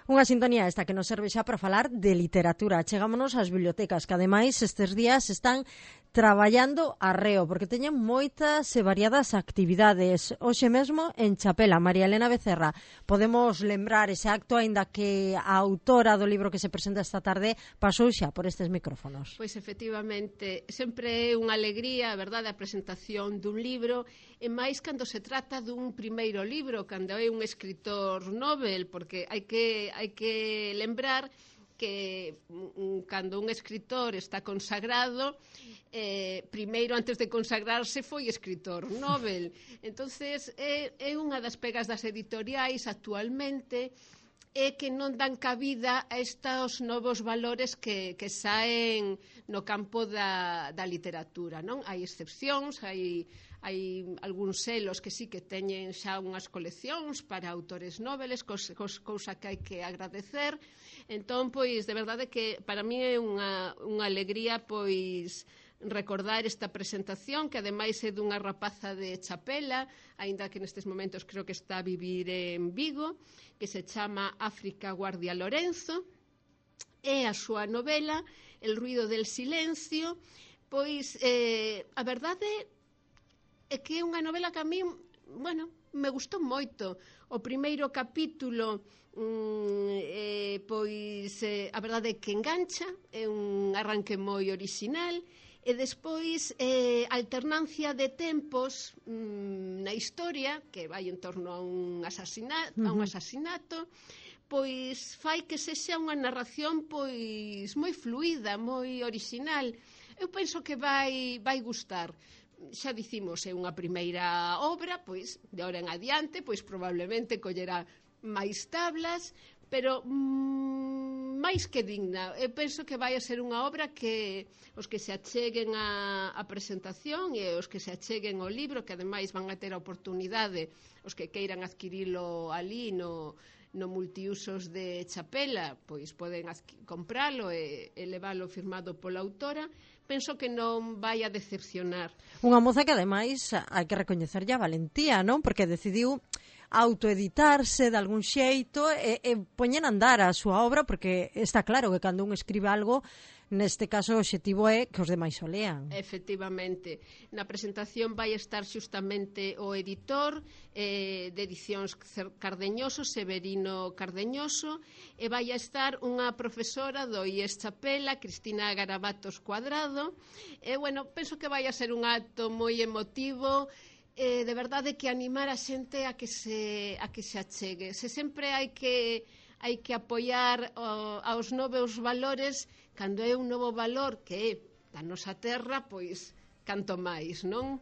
Unha sintonía esta que nos serve xa para falar de literatura. Chegámonos ás bibliotecas, que ademais estes días están traballando arreo, porque teñen moitas e variadas actividades. Hoxe mesmo en Chapela, María Elena Becerra, podemos lembrar ese acto, aínda que a autora do libro que se presenta esta tarde pasou xa por estes micrófonos. Pois efectivamente, sempre é unha alegría, a verdade, a presentación dun libro, e máis cando se trata dun primeiro libro, cando é un escritor novel, porque hai que lembrar que cando un escritor está consagrado, primeiro, antes de consagrarse, foi escritor novel. Entonces, é unha das pegas das editoriais actualmente, é que non dan cabida a estes novos valores que saen no campo da literatura, non? Hai excepcións, hai algúns selos que sí que teñen xa unhas coleccións para autores noveles, cousa que hai que agradecer. Entón, pois, de verdade que para mí é unha alegría, pois, recordar esta presentación, que ademais é dunha rapaza de Chapela, aínda que nestes momentos creo que está a vivir en Vigo, que se chama África Guardia Lorenzo, e a súa novela El ruido del silencio. Pois, a verdade é que é unha novela que a mí, bueno, me gustou moito. O primeiro capítulo, pois, a verdade é que engancha, é un arranque moi orixinal, e despois alternancia de tempos na historia, que vai en torno a un asasinato, pois fai que sexa unha narración pois moi fluida, moi orixinal. Eu penso que vai gustar. Xa dicimos, é unha primeira obra, pois de ahora en adiante, pois probablemente collerá máis tablas, pero máis que digna. Eu penso que vai a ser unha obra que os que se acheguen a presentación e os que se acheguen ao libro, que ademais van a ter a oportunidade, os que queiran adquirilo ali no multiusos de Chapela, pois poden compralo e leválo firmado pola autora. Penso que non vai a decepcionar. Unha moza que ademais hai que recoñecerlle a valentía, non? Porque decidiu autoeditarse de algún xeito e poñer a andar a súa obra, porque está claro que cando un escribe algo, neste caso o obxectivo é que os demais o lean. Efectivamente. Na presentación vai estar xustamente o editor de Edicións Cardeñoso, Severino Cardeñoso, e vai a estar unha profesora do IES Chapela, Cristina Garabatos Cuadrado. E, bueno, penso que vai a ser un acto moi emotivo, de verdade que animar a xente a que se achegue. Se sempre hai que apoiar aos novos valores, cando é un novo valor que é da nosa terra, pois canto máis, non?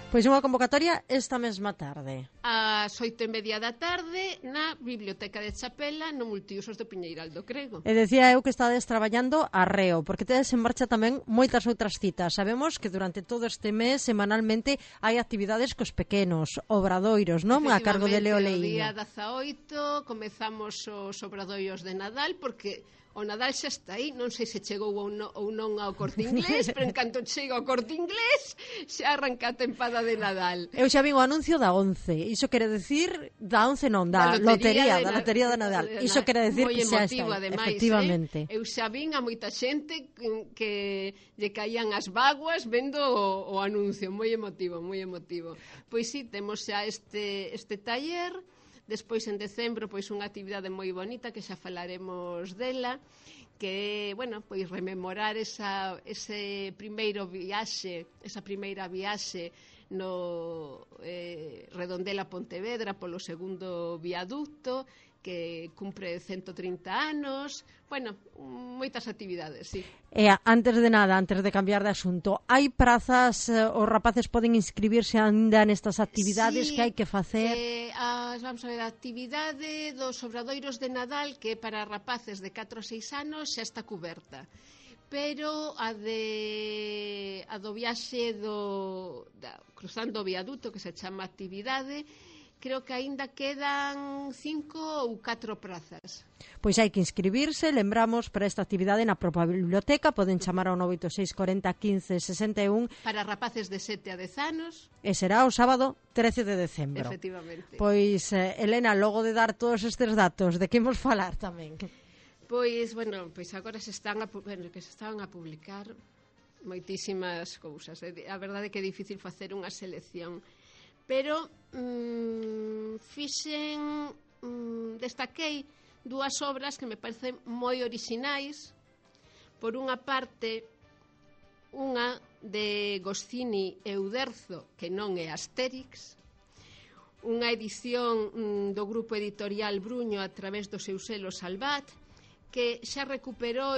Pois unha convocatoria esta mesma tarde. Ás 8:30 da tarde na Biblioteca de Chapela, no multiusos do Piñeiral do Crego. E decía eu que estades traballando arreo, porque tedes en marcha tamén moitas outras citas. Sabemos que durante todo este mes, semanalmente, hai actividades cos pequenos, obradoiros, non? A cargo de Leo Leíño. O día 18 comezamos os obradoiros de Nadal, porque o Nadal xa está aí, non sei se chegou ou non ao Corte Inglés, pero en canto chega ao Corte Inglés xa arranca a tempada de Nadal. Eu xa vin o anuncio da 11, iso quere decir, da 11 non, da lotería da Nadal. Iso quere decir que xa está aí, efectivamente. Eu xa vin a moita xente que lle caían as vaguas vendo o anuncio, moi emotivo, moi emotivo. Pois sí, temos xa este taller. Despois, en decembro, pois unha actividade moi bonita que xa falaremos dela, que é, bueno, pois rememorar ese primeiro viaxe, esa primeira viaxe no Redondela Pontevedra polo segundo viaducto, que cumpre 130 anos. Bueno, moitas actividades, sí. E antes de nada, antes de cambiar de asunto, hai prazas, os rapaces poden inscribirse ainda nestas actividades, sí, que hai que facer? Vamos a ver, a actividade dos obradoiros de Nadal, que para rapaces de 4 a 6 anos xa está cuberta. Pero a do viaxe cruzando o viaduto, que se chama actividade, creo que aínda quedan 5 ou 4 prazas. Pois hai que inscribirse, lembramos, para esta actividade na propia biblioteca, poden chamar ao 986 40 15 61. Para rapaces de 7 a 10 anos. E será o sábado 13 de decembro. Efectivamente. Pois, Elena, logo de dar todos estes datos, de que imos falar tamén? Pois, bueno, pois agora que se están a publicar moitísimas cousas. A verdade é que é difícil facer unha selección. Pero destaquei dúas obras que me parecen moi orixinais. Por unha parte, unha de Goscinny e Uderzo, que non é Astérix, unha edición do grupo editorial Bruño a través do seu selo Salvat, que xa recuperou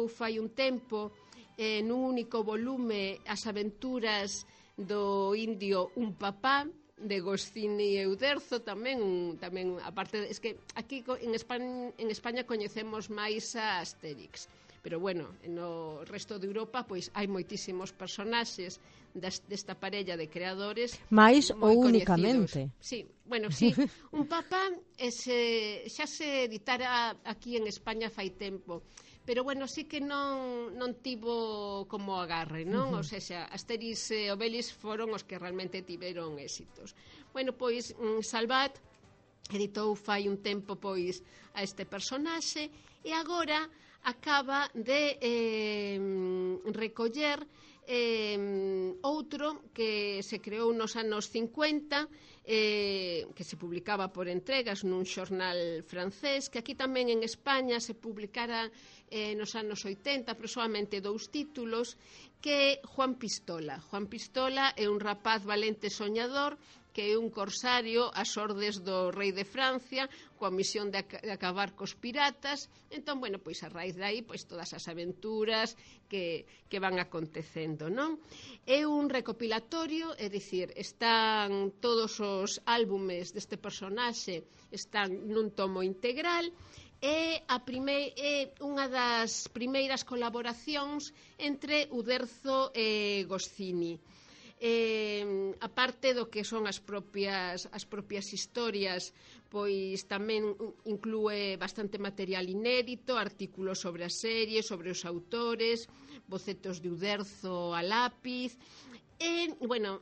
fai un tempo nun único volume as aventuras do indio Un Papá, de Goscinny e Uderzo, tamén aparte, es que aquí en España coñecemos máis a Astérix, pero bueno, no resto de Europa pois hai moitísimos personaxes desta parella de creadores máis moi ou coñecidos. únicamente. Sí, bueno, sí, Un Papá xa se editara aquí en España fai tempo, pero bueno, sí que non tivo como agarre, non? O sea, Asterix e Obelix foron os que realmente tiveron éxitos. Bueno, pois Salvat editou fai un tempo pois a este personaxe e agora acaba de recoller outro que se creou nos anos 50, que se publicaba por entregas nun xornal francés, que aquí tamén en España se publicara nos anos 80, aproximadamente 2 títulos, que é Juan Pistola. Juan Pistola é un rapaz valente soñador que é un corsario ás ordes do rei de Francia coa misión de acabar cos piratas. Entón, bueno, pois a raíz de aí, pois todas as aventuras que van acontecendo, non? É un recopilatorio, é dicir, están todos os álbumes deste personaxe, están nun tomo integral, é unha das primeiras colaboracións entre Uderzo e Goscinny. Aparte do que son as propias historias, pois tamén inclúe bastante material inédito, artículos sobre a serie, sobre os autores, bocetos de Uderzo a lápiz. Bueno,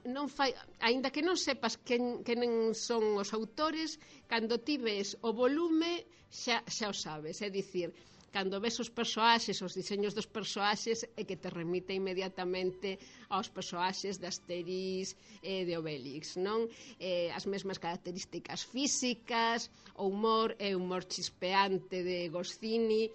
aínda que non sepas quen son os autores, cando ti ves o volume xa o sabes, é dicir, cando ves os persoaxes, os diseños dos persoaxes, é que te remite inmediatamente aos persoaxes de Asterix e de Obelix, non? As mesmas características físicas, o humor é humor chispeante de Goscinny,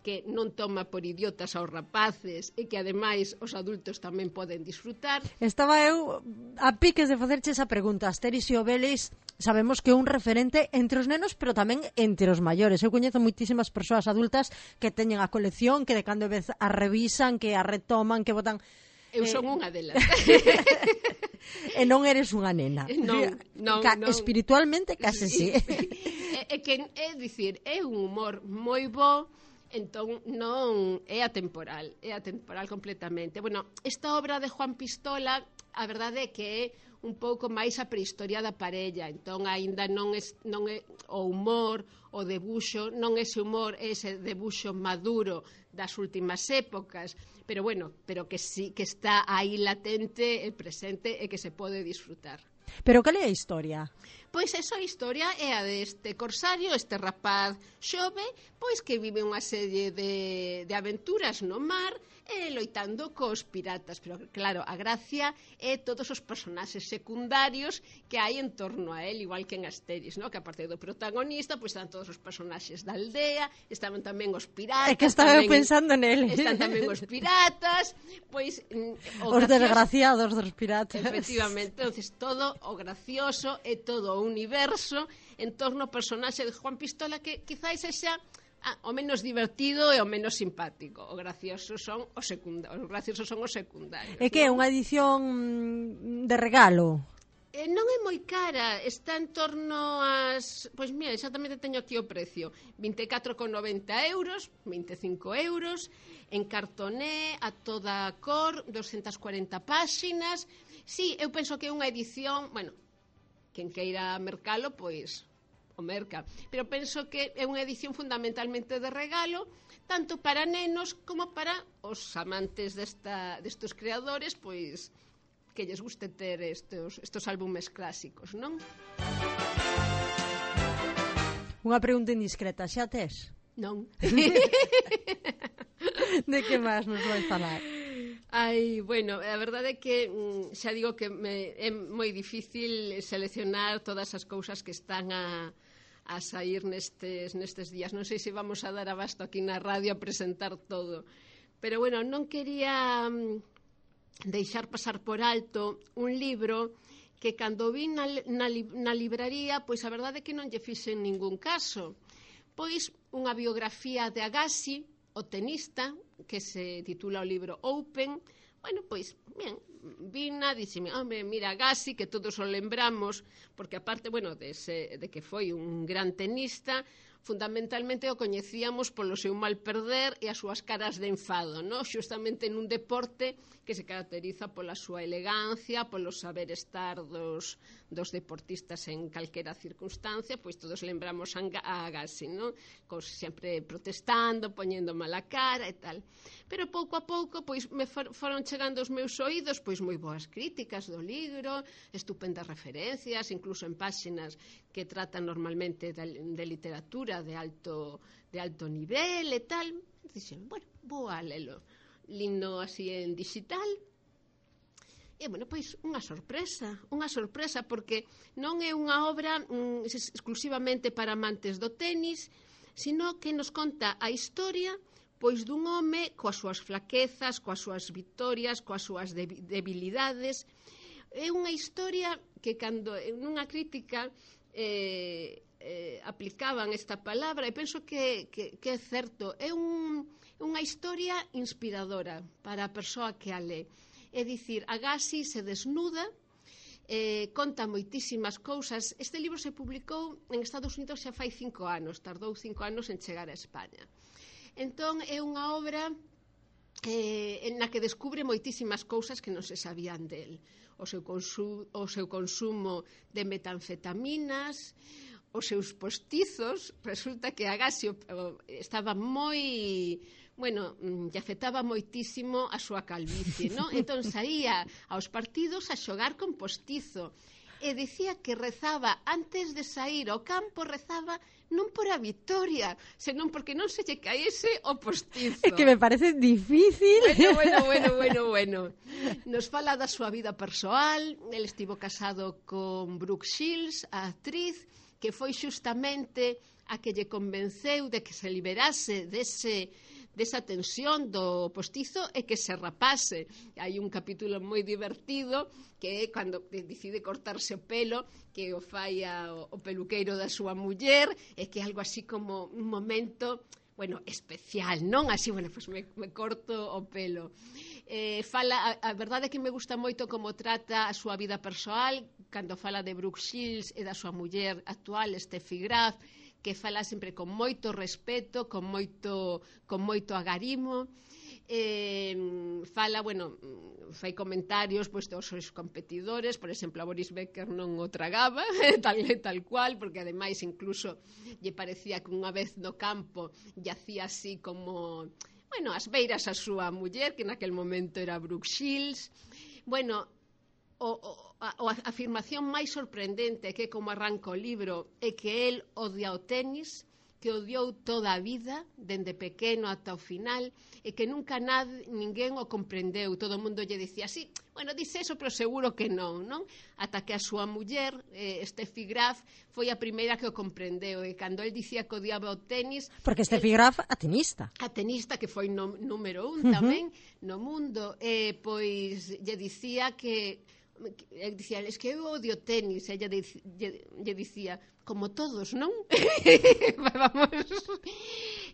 que non toma por idiotas aos rapaces e que ademais os adultos tamén poden disfrutar. Estaba eu a piques de facerche esa pregunta. Asterix e Obelix sabemos que é un referente entre os nenos, pero tamén entre os maiores. Eu coñezo moitísimas persoas adultas que teñen a colección, que de cando en vez a revisan, que a retoman, que botan... Eu son unha delas. E non eres unha nena. Non. Espiritualmente case sí. É dicir, é un humor moi bo. Entón non é atemporal completamente. Bueno, esta obra de Juan Pistola, a verdade é que é un pouco máis a prehistoria da parella, entón aínda non é o humor, o debuxo, non ese humor, ese debuxo maduro das últimas épocas, pero bueno, pero que sí que está aí latente e presente e que se pode disfrutar. Pero cal é a historia? Pois esa historia é a deste corsario, este rapaz xove, pois que vive unha serie de aventuras no mar loitando cos piratas, pero claro, a gracia é todos os personaxes secundarios que hai en torno a él, igual que en Asterix, ¿no? Que aparte do protagonista, pois están todos os personaxes da aldea, estaban tamén os piratas. É que estaba pensando nele. Están tamén os piratas, pois os desgraciados dos piratas. Efectivamente, entonces todo o gracioso e todo o universo en torno ao personaxe de Juan Pistola, que quizáis xa o menos divertido e o menos simpático. Os graciosos son os secundarios. É que é unha edición de regalo? Non é moi cara, está en torno ás... Pois mira, exactamente teño aquí o precio, 24,90 euros, 25 euros, en cartoné, a toda cor, 240 páxinas. Sí, eu penso que é unha edición, bueno, quen queira mercalo, pois o merca. Pero penso que é unha edición fundamentalmente de regalo, tanto para nenos como para os amantes destos creadores, pois que lles guste ter estos álbumes clásicos, non? Unha pregunta indiscreta, xa tes? Non. De que máis nos vais falar? Ai, bueno, a verdade é que xa digo que é moi difícil seleccionar todas as cousas que están a sair nestes días. Non sei se vamos a dar abasto aquí na radio a presentar todo. Pero, bueno, non quería deixar pasar por alto un libro que cando vi na libraría, pois a verdade é que non lle fixen ningún caso. Pois unha biografía de Agassi, o tenista, que se titula o libro Open. Bueno, pois, ben, vina, dixeme, home, mira, Agassi, que todos o lembramos, porque aparte, bueno, de que foi un gran tenista, fundamentalmente o coñecíamos polo seu mal perder e as súas caras de enfado, no? Xustamente nun deporte que se caracteriza pola súa elegancia, polo saber estar dos deportistas en calquera circunstancia, pois todos lembramos a Agassi, no? Sempre protestando, poñendo mala cara e tal. Pero pouco a pouco, pois me foron chegando aos meus oídos pois moi boas críticas do libro, estupendas referencias, incluso en páxinas que tratan normalmente de literatura de alto nivel e tal. Dixen, bueno, vou a lelo. Lindo así en digital. E, bueno, pois, unha sorpresa, porque non é unha obra exclusivamente para amantes do tenis, sino que nos conta a historia pois dun home coas súas flaquezas, coas súas victorias, coas súas debilidades. É unha historia que cando nunha crítica aplicaban esta palabra, e penso que é certo, é unha historia inspiradora para a persoa que a lé. É dicir, Agassi se desnuda, conta moitísimas cousas. Este libro se publicou en Estados Unidos xa fai 5 anos, tardou 5 anos en chegar a España. Entón, é unha obra na que descubre moitísimas cousas que non se sabían del. O seu consumo de metanfetaminas, os seus postizos. Resulta que Agassi estaba moi... Bueno, lle afectaba moitísimo a súa calvicie, non? Entón saía aos partidos a xogar con postizo. E dicía que rezaba, antes de sair ao campo, rezaba non por a victoria, senón porque non se lle caese o postizo. É que me parece difícil. Bueno. Nos fala da súa vida persoal. El estivo casado con Brooke Shields, a actriz, que foi xustamente a que lle convenceu de que se liberase desa tensión do postizo e que se rapase. Hai un capítulo moi divertido que é cando decide cortarse o pelo, que o fai o peluqueiro da súa muller, e que é algo así como un momento, bueno, especial, non? Así, bueno, pues me corto o pelo. A verdade é que me gusta moito como trata a súa vida persoal, cando fala de Brooke Shields e da súa muller actual, Steffi Graf, que fala sempre con moito respeto, con moito agarimo. Fala, bueno, fai comentarios pois, dos seus competidores, por exemplo, a Boris Becker non o tragaba, tal cual, porque ademais incluso lle parecía que unha vez no campo lle hacía así como, bueno, as beiras a súa muller, que naquel momento era Brooke Shields. Bueno, a afirmación máis sorprendente que como arranca o libro é que el odia o tenis, que odiou toda a vida, dende pequeno ata o final, e que nunca ninguén o comprendeu. Todo o mundo lle dicía así, bueno, dice eso, pero seguro que non? Ata que a súa muller, Steffi Graf, foi a primeira que o comprendeu, e cando el dicía que odiaba o tenis... Porque Steffi Graf, a tenista. A tenista, que foi número 1 tamén no mundo, pois lle dicía que... dicía, es que eu odio tenis, ella lle dicía, como todos, non? Vamos.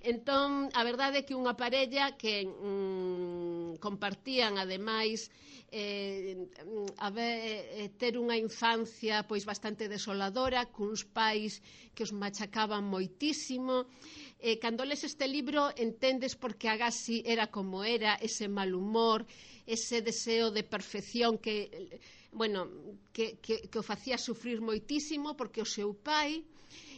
Entón, a verdade é que unha parella que compartían, ademais, ter unha infancia pois bastante desoladora, cuns pais que os machacaban moitísimo. Cando les este libro entendes porque Agassi era como era, ese mal humor, ese deseo de perfección que o facía sufrir moitísimo, porque o seu pai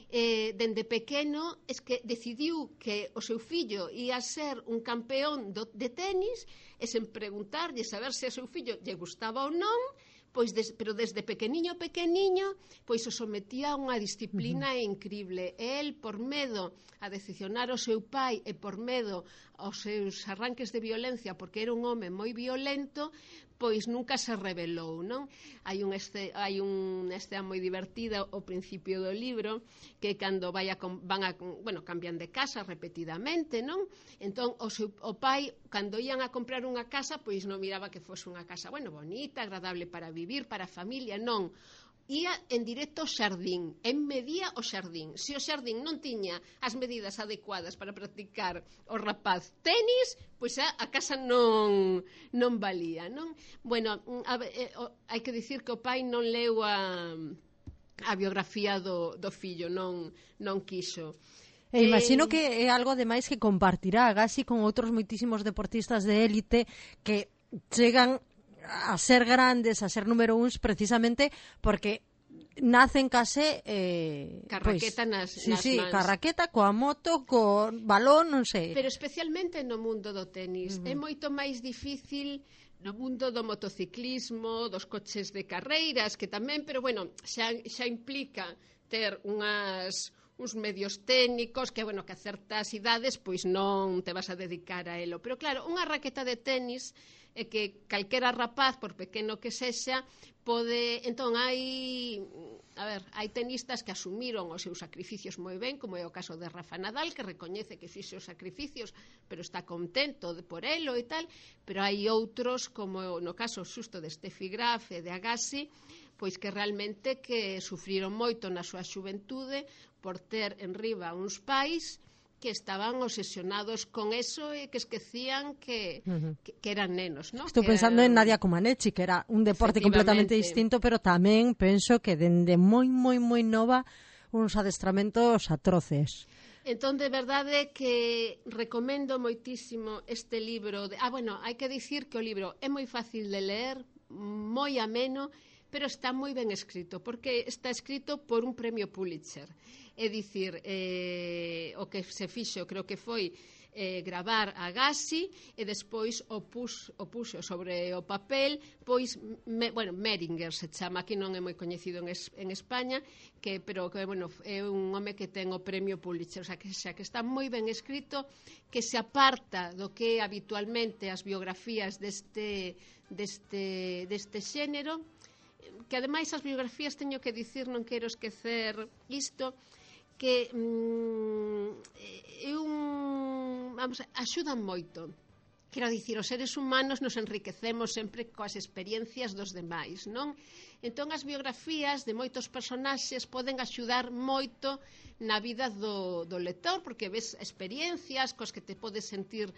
dende pequeno es que decidiu que o seu fillo ia ser un campeón de tenis, e sen preguntarlle saber se o seu fillo lle gustaba ou non, pero desde pequeniño, pois o sometía a unha disciplina increíble. El, por medo a decepcionar o seu pai e por medo aos seus arranques de violencia, porque era un home moi violento, pois nunca se rebelou, non? Hai unha escena moi divertida ao principio do libro, que cando cambian de casa repetidamente, non? Entón, o pai, cando ian a comprar unha casa, pois non miraba que fose unha casa, bonita, agradable para vivir, para a familia, non. Ia en directo ao xardín, medía o xardín. Se o xardín non tiña as medidas adecuadas para practicar o rapaz tenis, pois a casa non valía, non? Hai que dicir que o pai non leu a biografía do fillo, non quiso. Imagino que é algo ademais que compartirá Agassi con outros moitísimos deportistas de élite que chegan a ser grandes, a ser número uns, precisamente porque nacen case carraqueta nas mans. Ca raqueta, coa moto, co balón, non sei. Pero especialmente no mundo do tenis. É moito máis difícil no mundo do motociclismo, dos coches de carreiras, que tamén, pero xa implica ter uns medios técnicos que a certas idades pois non te vas a dedicar a elo. Pero claro, unha raqueta de tenis é que calquera rapaz, por pequeno que sexa, pode... Entón, hai tenistas que asumiron os seus sacrificios moi ben, como é o caso de Rafa Nadal, que recoñece que fixe os sacrificios, pero está contento por elo e tal, pero hai outros, como no caso xusto de Steffi Graf e de Agassi, pois que realmente que sufriron moito na súa xuventude por ter en riba uns pais que estaban obsesionados con eso e que esquecían que eran nenos, ¿no? Estou pensando en Nadia Comaneci, que era un deporte completamente distinto, pero tamén penso que dende moi nova uns adestramentos atroces. Entón, de verdade que recomendo moitísimo este libro. Hai que dicir que o libro é moi fácil de ler, moi ameno, pero está moi ben escrito, porque está escrito por un premio Pulitzer. É dicir, o que se fixo, creo que foi gravar a Agassi e despois o puxo sobre o papel, pois, Meringer se chama, aquí non é moi coñecido en España, pero é un home que ten o premio Pulitzer, xa que está moi ben escrito, que se aparta do que habitualmente as biografías deste xénero, que ademais as biografías, teño que dicir, non quero esquecer isto, que axudan moito. Quero dicir, os seres humanos nos enriquecemos sempre coas experiencias dos demais, non? Entón, as biografías de moitos personaxes poden axudar moito na vida do lector, porque ves experiencias cos que te podes sentir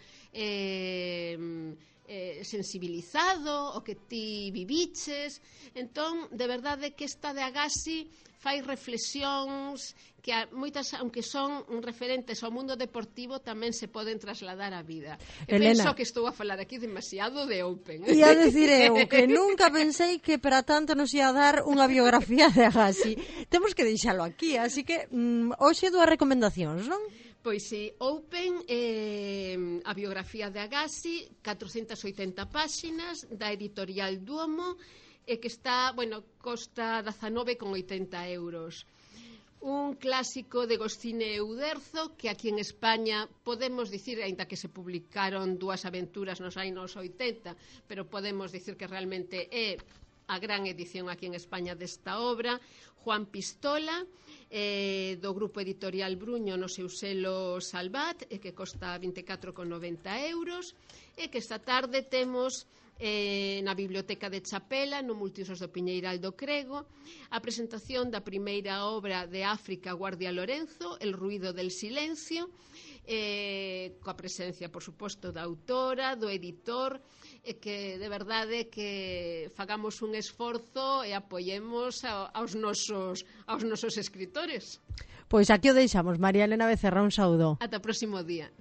sensibilizado, o que ti viviches. Entón, de verdade que esta de Agassi fai reflexións que moitas, aunque son referentes ao mundo deportivo, tamén se poden trasladar á vida. Penso que estou a falar aquí demasiado de Open. Ia dicir eu que nunca pensei que para tanto nos ia dar unha biografía de Agassi. Temos que deixalo aquí, así que hoxe dúas recomendacións, non? Pois si, Open, a biografía de Agassi, 480 páxinas, da editorial Duomo, e que está, costa 19,80 €. Un clásico de Goscinny e Uderzo, que aquí en España podemos dicir, aínda que se publicaron dúas aventuras nos anos 80, pero podemos dicir que realmente é a gran edición aquí en España desta obra. Juan Pistola, do grupo editorial Bruño no seu selo Salvat, que costa 24,90 €, e que esta tarde temos na Biblioteca de Chapela, no Multiusos do Piñeiral do Crego, a presentación da primeira obra de África Guardia Lorenzo, El ruido del silencio, coa presencia, por suposto, da autora, do editor, e que de verdade que fagamos un esforzo e apoyemos aos nosos escritores. Pois aquí o deixamos. María Elena Becerra, un saúdo. Ata o próximo día.